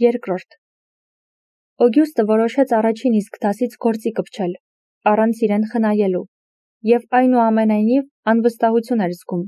Երկրորդ. Օգյուստը որոշեց առաջին իսկ դասից գործի կպչել, առանց իրեն խնայելու, և այնուամենայնիվ անվստահություն էր զգում։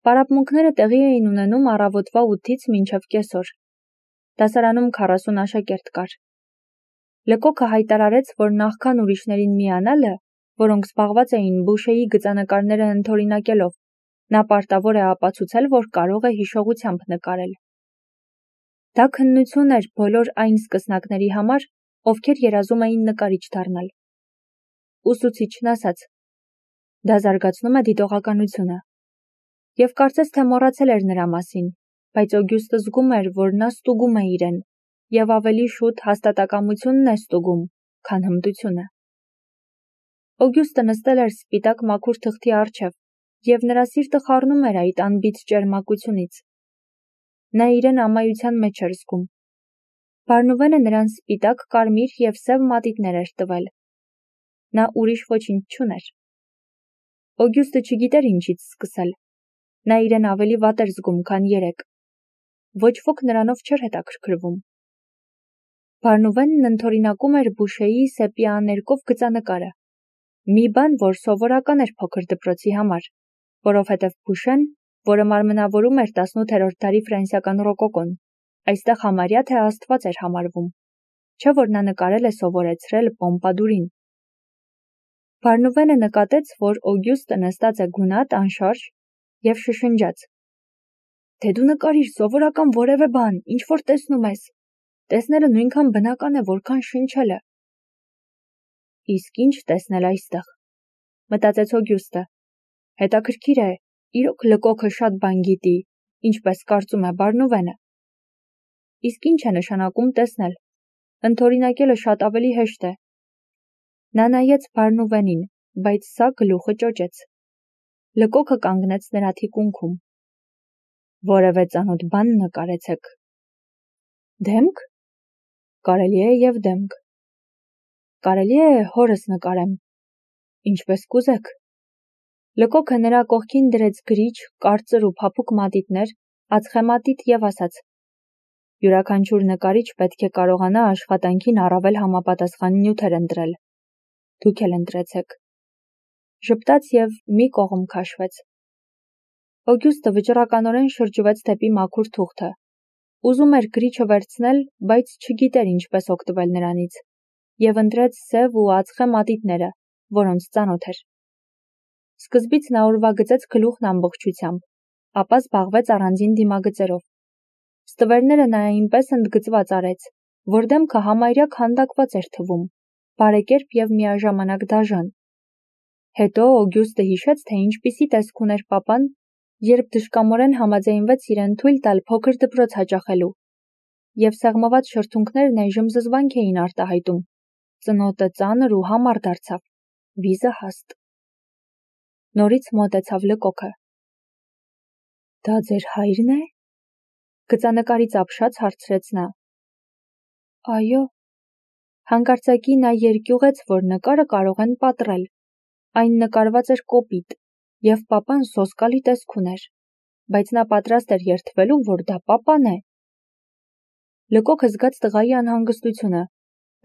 Պարապմունքները տեղի էին ունենում առավոտվա 8-ից մինչև կեսօր։ Դասարանում 40 աշակերտ կար։ Լկոքը հայտարարեց, որ նախքան ուրիշներին միանալը, որոնք զբաղված էին Բուշեի գծանկարները ընդօրինակելով, նա պարտավոր է ապացուցել, որ կարող է հիշողությամբ նկարել։ Դա քննություն էր բոլոր այն սկսնակների համար, ովքեր երազում էին նկարիչ դառնալ։ Ուսուցիչն ասաց. դա զարգացնում է դիտողականությունը։ Եվ կարծես թե մոռացել էր նրա մասին, բայց Օգյուստը զգում էր, որ նա ստուգում է իրեն, և ավելի շուտ հաստատակամությունն է ստուգում, քան հմտությունը։ Օգյուստը նստել էր սպիտակ մաքուր թղթի առջև, և նրա սիրտը խառնում էր այդ անբիծ ճերմակությունից։ Նա իրեն ամայության մեջ էր զգում։ Բարնուվենը նրան սպիտակ, կարմիր և սև մատիտներ էր տվել։ Նա ուրիշ ոչինչ չուներ։ Օգյուստը չգիտեր ինչից սկսել։ Նա իրեն ավելի վատ էր զգում, քան երեկ։ Ոչ ոք նրանով չէր հետաքրքրվում։ Բարնուվենն ընդօրինակում էր Բուշեի սեպիա աներկով գծանկարը, մի բան, որ սովորական էր փոքր դպրոցի համար, որովհետև Բուշեն, որը մարմնավորում էր 18-րդ դարի ֆրանսիական ռոկոկոն, այստեղ համարյա թե աստված էր համարվում, չէ որ նա նկարել է սովորեցրել Պոմպադուրին։ Բարնուվենը նկատեց, որ Օգյուստը նստած է գունատ, անշարժ և շշնջաց. «Դե դու նկարիր սովորական որևէ բան, ինչ որ տեսնում ես։ Տեսնելը նույնքան բնական է, որքան շնչելը»։ Իսկ ինչ տեսնել այստեղ, մտածեց Օգյուստը։ Հետաքրքիր է, իրոք Լկոքը շատ բան գիտի, ինչպես կարծում է Բարնուվենը։ Իսկ ինչ է նշանակում տեսնել։ Ընդօրինակելը շատ ավելի հեշտ է։ Նա նայեց Բարնուվենին, բայց սա գլուխը ճոճեց։ Լկոքը կանգնեց նրա թիկունքում։ Որևէ ծանոթ բան նկարեցեք։ Դեմք։ Կարելի է և դեմք։ Կարելի է հորս նկարեմ։ Ինչպես կուզեք։ Լկոքը նրա կողքին դրեց գրիչ, կարծր ու փափուկ մատիտներ, ածխեմատիտ և ասաց. յուրաքանչյուր նկարիչ պետք է կարողանա աշխատանքին առավել համապատասխան նյութեր ընտրել։ Դուք էլ ընտրեցեք։ Ժպտաց և մի կողմ քաշվեց։ Օգյուստը վճռականորեն շրջվեց դեպի մաքուր թուղթը։ Ուզում էր գրիչը վերցնել, բայց չգիտեր ինչպես օգտվել նրանից, և ընտրեց սև ու ածխե մատիտները, որոնց ծանոթ էր։ Սկզբից նա ուրվագծեց գլուխն ամբողջությամբ, ապա զբաղվեց առանձին դիմագծերով։ Ստվերները նա այնպես ընդգծված արեց, որ դեմքը համարյա քանդակված էր թվում, բարեկերպ և միաժամանակ դաժան։ Հետո Օգյուստը հիշեց, թե ինչպիսի տեսք ուներ պապան, երբ դժկամորեն համաձայնվեց իրեն թույլ տալ փոքր դպրոց հաճախելու, և սեղմված շրթունքներն այժմ զզվանք էին արտահայտում, ծնոտը ծանր ու համառ դարձավ, վիզը հաստ։ Նորից մոտեցավ Լկոքը։ Դա ձեր հայրն է։ Գծանկարից ապշած հարցրեց նա։ Այո։ Հանկարծակի նա երկյուղեց, որ նկարը կարող են պատռել։ Այն նկարված էր կոպիտ, և պապան սոսկալի տեսք ուներ, բայց նա պատրաստ էր երդվելու, որ դա պապան է։ Լկոքը զգաց տղայի անհանգստությունը,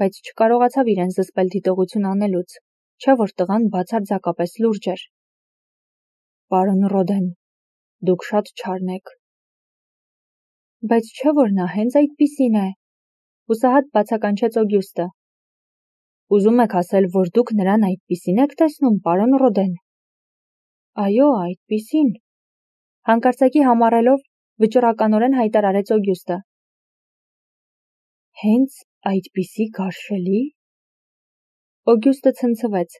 բայց չկարողացավ իրեն զսպել դիտողություն անելուց, չէ որ տղան բացարձակապես լուրջ էր։ Պարոն Ռոդեն, դուք շատ չարն եք։ Բայց չէ որ նա հենց այդպիսին է, հուսահատ բացականչեց Օգյուստը։ Ուզում եք ասել, որ դուք նրան այդպիսին եք տեսնում, պարոն Ռոդեն։ Այո, այդպիսին։ Հանկարծակի համառելով, վճռականորեն հայտարարեց Օգյուստը։ Հենց այդպիսի գարշելի։ Օգյուստը ցնցվեց,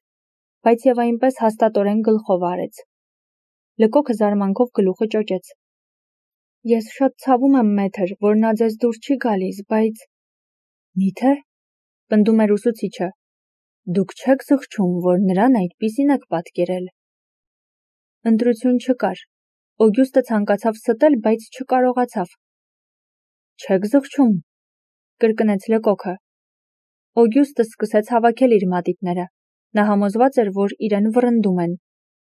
բայց և այնպես հաստատորեն գլխով արեց։ Լկոքը զարմանքով գլուխը ճոճեց։ Ես շատ ցավում եմ, մեթր, որ նա ձեզ դուր չի գալիս, բայց… Մի՞թե, պնդում էր ուսուցիչը, դուք չեք զղջում, որ նրան այդպիսին եք պատկերել։ Ընտրություն չկար։ Օգյուստը ցանկացավ ստել, բայց չկարողացավ։ Չեք զղջում, կրկնեց Լկոքը։ Օգյուստը սկսեց հավաքել իր մատիտները։ Նա համոզված էր, որ իրեն վռնդում են,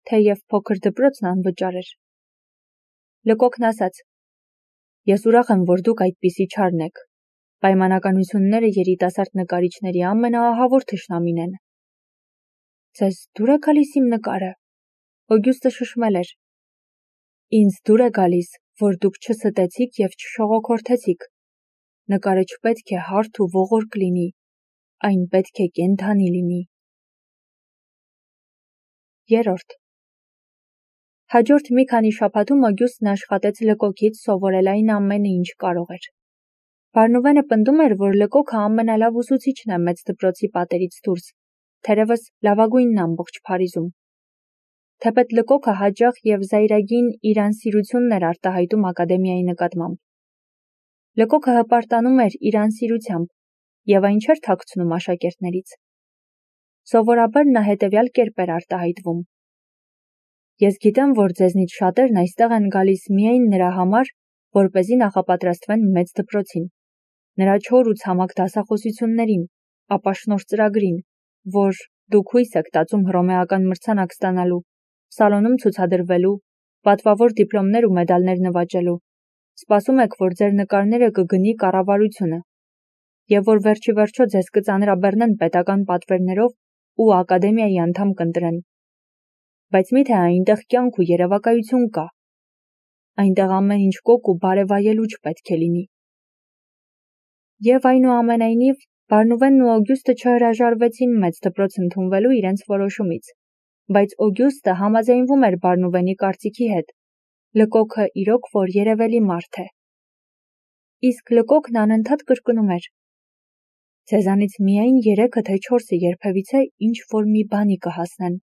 թեև փոքր դպրոցն անվճար էր։ Լկոքն ասաց. Ես ուրախ եմ, որ դուք այդպիսի չարն եք։ Պայմանականությունները երիտասարդ նկարիչների ամենաահավոր թշնամին են։ Ձեզ դուր է գալիս իմ նկարը։ Օգյուստը շշմել էր։ Ինձ դուր է գալիս, որ դուք չստեցիք և չշողոքորթեցիք։ Նկարը չպետք է հարթ ու ողորկ լինի, այն պետք է կենդանի լինի։ 3. Հաջորդ մի քանի շաբաթում Օգյուստն աշխատեց Լկոքից սովորել այն ամենը, ինչ կարող էր։ Բարնուվենը պնդում էր, որ Լկոքը ամենալավ ուսուցիչն է մեծ դպրոցի պատերից դուրս, թերևս լավագույնն ամբողջ Փարիզում։ Թեպետ Լկոքը հաճախ և զայրագին իր անսիրությունն էր արտահայտում ակադեմիայի նկատմամբ։ Լկոքը հպարտանում էր իր անսիրությամբ և այն չէր թաքցնում աշակերտներից։ Սովորաբար նա հետևյալ կերպ էր արտահայտվում. Ես գիտեմ, որ ձեզնից շատերն այստեղ են գալիս միայն նրա համար, որպեսզի նախապատրաստվեն մեծ դպրոցին, նրա չոր ու ցամաք դասախոսություններին, ապաշնորհ ծրագրին, որ դուք հույս եք տածում հռոմեական մրցանակ ստանալու, սալոնում ցուցադրվելու, պատվավոր դիպլոմներ ու մեդալներ նվաճելու, սպասում եք, որ ձեր նկարները կգնի կառավարությունը, և որ վերջի վերջո ձեզ կծանրաբեռնեն պետական պատվերներով ու ակադեմիայի անդամ կընտրեն։ Բայց միթե այնտեղ կյանք ու երևակայություն կա։ Այնտեղ ամեն ինչ կոկ ու բարևայելու չպետք է լինի։ Եվ այնուամենայնիվ, Բարնուվենն ու Օգյուստը չհրաժարվեցին մեծ դպրոց ընդունվելու իրենց որոշումից, բայց Օգյուստը համաձայնվում էր Բարնուվենի կարծիքի հետ։ Լկոքը իրոք որ երևելի մարդ է։ Իսկ Լկոքն անընդհատ կրկնում էր. Ձեզանից միայն 3-ը թե 4-ը երբևիցե ինչ-որ մի բանի կհասնեն։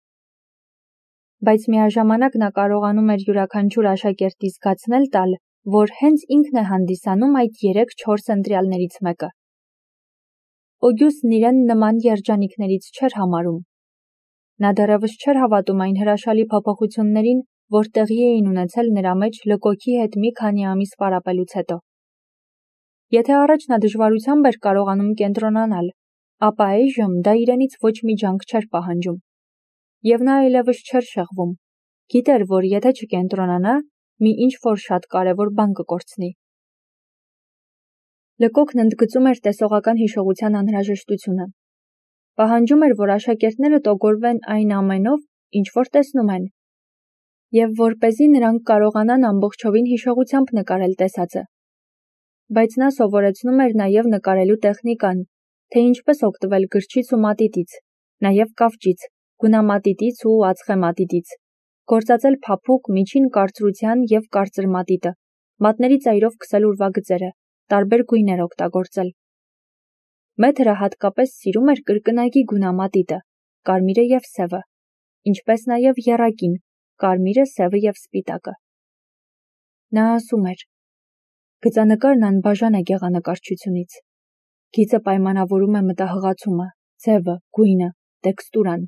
Բայց միաժամանակ նա կարողանում էր յուրաքանչյուր աշակերտի զգացնել տալ, որ հենց ինքն է հանդիսանում այդ 3-4 ընտրյալներից մեկը։ Օգյուստն իրեն նման երջանիկներից չէր համարում։ Նա դեռևս չէր հավատում այն հրաշալի փոփոխություններին, որ տեղի էին ունեցել նրա մեջ Լկոքի հետ մի քանի ամիս պարապելուց հետո։ Եթե առաջ նա դժվարությամբ էր կարողանում կենտրոնանալ, ապա այժմ դա իրենից ոչ մի ջանք չէր պահանջում։ Եվ նա այլևս չէր շեղվում, գիտեր, որ եթե չկենտրոնանա, մի ինչ-որ շատ կարևոր բան կկորցնի։ Լկոքն ընդգծում էր տեսողական հիշողության անհրաժեշտությունը։ Պահանջում էր, որ աշակերտները տոգորվեն այն ամենով, ինչ որ տեսնում են, և որպեսզի նրանք կարողանան ամբողջովին հիշողությամբ նկարել տեսածը։ Բայց նա սովորեցնում էր նաև նկարելու տեխնիկան, թե ինչպես օգտվել գրչից ու մատիտից, նաև կավճից, գունամատիտից ու ածխեմատիտից, գործածել փափուկ, միջին կարծրության և կարծր մատիտը, մատների ծայրով քսել ուրվագծերը, տարբեր գույներ օգտագործել։ Մեթրը հատկապես սիրում էր կրկնակի գունամատիտը, կարմիրը և սևը, ինչպես նաև եռակին, կարմիրը, սևը և սպիտակը։ Նա ասում էր. Գծանկարն անբաժան է գեղանկարչությունից։ Գիծը պայմանավորում է մտահղացումը, ձևը, գույնը, տեքստուրան։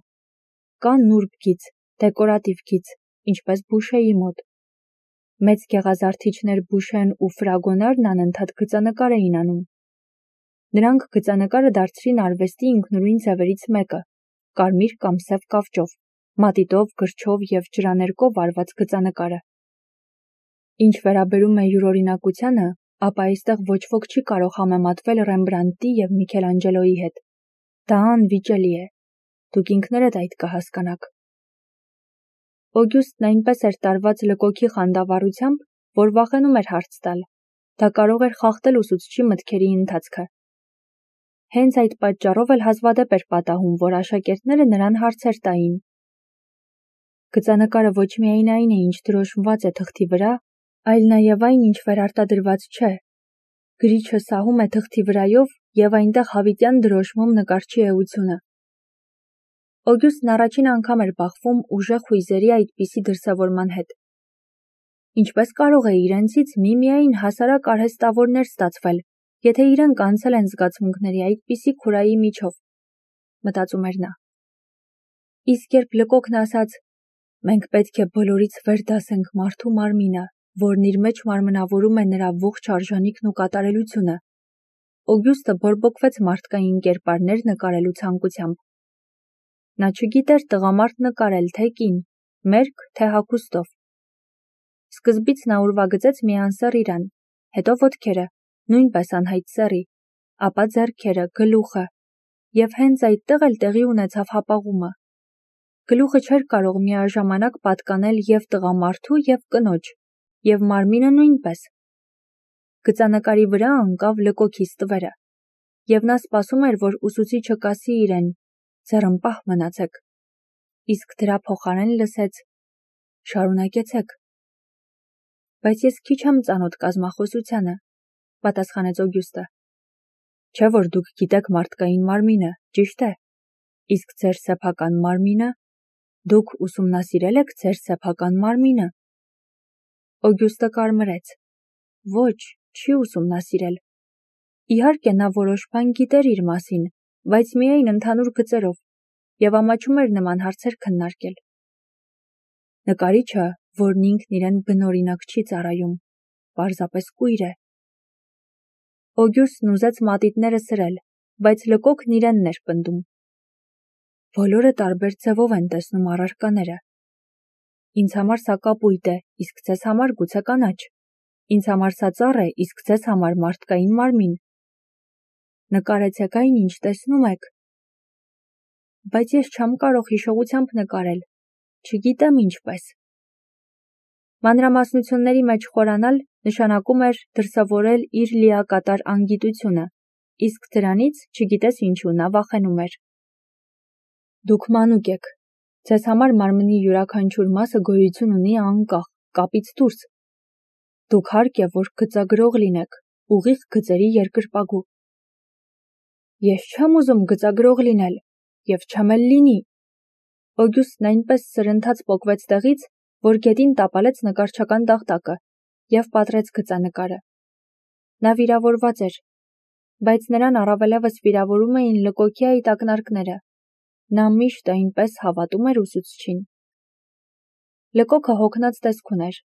Կա նուրբ գիծ, դեկորատիվ գիծ, ինչպես Բուշեի մոտ։ Մեծ գեղազարդիչներ Բուշեն ու Ֆրագոնարն անընդհատ գծանկար էին անում։ Նրանք գծանկարը դարձրին արվեստի ինքնուրույն ձևերից մեկը, կարմիր կամ սև կավճով, մատիտով, գրչով և ջրաներկով արված գծանկարը։ Ինչ վերաբերում է յուրօրինակությանը, ապա այստեղ ոչ ոք չի կարող համեմատվել Ռեմբրանտի և Միքելանջելոյի հետ։ Դա անվիճելի է։ Դուք ինքներդ այդ կհասկանաք։ Օգյուստն այնպես էր տարված Լկոքի խանդավառությամբ, որ վախենում էր հարց տալ։ Դա կարող էր խախտել ուսուցչի մտքերի ընթացքը։ Հենց այդ պատճառով էլ հազվադեպ էր պատահում, որ աշակերտները նրան հարցեր տային։ Գծանկարը ոչ միայն այն է, ինչ դրոշմված է թղթի վրա, այլ նաև այն, ինչ վերարտադրված չէ։ Գրիչը սահում է թղթի վրայով և այնտեղ հավիտյան դրոշմում նկարչի էությունը։ Օգյուստն առաջին անգամ էր բախվում ուժեղ հույզերի այդպիսի դրսևորման հետ։ Ինչպես կարող է իրենցից միմիայն հասարակ արհեստավորներ ստացվել, եթե իրենք անցել են զգացմունքների այդպիսի քուրայի միջով, մտածում էր նա։ Իսկ երբ Լկոքն ասաց. մենք պետք է բոլորից վեր դասենք մարդու մարմինը, որն իր մեջ մարմնավորում է նրա ողջ արժանիքն ու կատարելությունը, Օգյուստը բորբոքվեց մարդկային կերպարներ նկարելու ցանկությամբ։ Նա չգիտեր տղամարդ նկարել թե կին, մերկ թե հագուստով։ Սկզբից նա ուրվագծեց մի անսեռ իրան, հետո ոտքերը, նույնպես անհայտ սեռի, ապա ձեռքերը, գլուխը, և հենց այդտեղ էլ տեղի ունեցավ հապաղումը։ Գլուխը չէր կարող միաժամանակ պատկանել և տղամարդու և կնոջ, և մարմինը նույնպես։ Գծանկարի վրա ընկավ լկոքի ստվերը, և նա սպասում էր, որ ուսուցիչը կասի իրեն. «Ձեռնպահ մնացեք», իսկ դրա փոխարեն լսեց. «Շարունակեցեք»։ «Բայց ես քիչ եմ ծանոթ կազմախոսությանը», պատասխանեց Օգյուստը։ «Չէ՞ որ դուք գիտեք մարդկային մարմինը, ճիշտ է, իսկ ձեր սեփական մարմինը, դուք ուսումնասիրել եք ձեր սեփական մարմինը»։ Օգյուստը կարմրեց։ Ոչ, չի ուսումնասիրել։ Իհարկե նա որոշ բան գիտեր իր մասին, բայց միայն ընդհանուր գծերով, և ամաչում էր նման հարցեր քննարկել։ Նկարիչը, որն ինքն իրեն բնօրինակ չի ծառայում, պարզապես կույր է։ Օգյուստն ուզեց մատիտները սրել, բայց լկոքն իրենն էր պնդում։ Բոլորը տարբեր ձևով են տեսնում առարկաները։ Ինձ համար սա կապույտ է, իսկ ձեզ համար գուցե կանաչ։ Ինձ համար սա ծառ է, իսկ ձեզ համար մարդկային մարմին։ Նկարեցեք այն, ինչ տեսնում եք։ Բայց ես չեմ կարող հիշողությամբ նկարել, չգիտեմ ինչպես։ Մանրամասնությունների մեջ խորանալ նշանակում էր դրսևորել իր լիակատար անգիտությունը, իսկ դրանից, չգիտես ինչու, նա վախենում էր։ Դուք մանուկ եք, ձեզ համար մարմնի յուրաքանչյուր մասը գոյություն ունի անկախ, կապից դուրս։ Դուք հարկ է, որ գծագրող լինեք, ուղիղ գծերի երկրպագու։ Ես չեմ ուզում գծագրող լինել, և չեմ էլ լինի։ Օգյուստն այնպես սրընթաց պոկվեց տեղից, որ գետին տապալեց նկարչական տախտակը և պատռեց գծանկարը։ Նա վիրավորված էր, բայց նրան առավելևս վիրավորում էին լկոքի այդ ակնարկները։ Նա միշտ այնպես հավատում էր ուսուցչին։ Լկոքը հոգնած տեսք ուներ։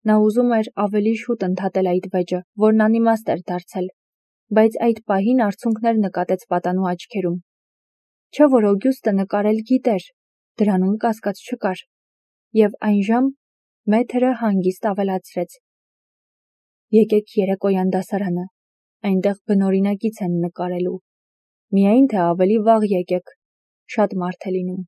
Նա ուզում էր ավելի շուտ ընդհատել այդ վեճը, որն անիմաստ էր դարձել, բայց այդ պահին արցունքներ նկատեց պատանու աչքերում։ Չէ՞ որ Օգյուստը նկարել գիտեր, դրանում կասկած չկար, և այնժամ մեթրը հանգիստ ավելացրեց. «Եկեք երեկոյան դասարանը, այնտեղ բնօրինակից են նկարելու, միայն թե ավելի վաղ եկեք, շատ մարդ է լինում»։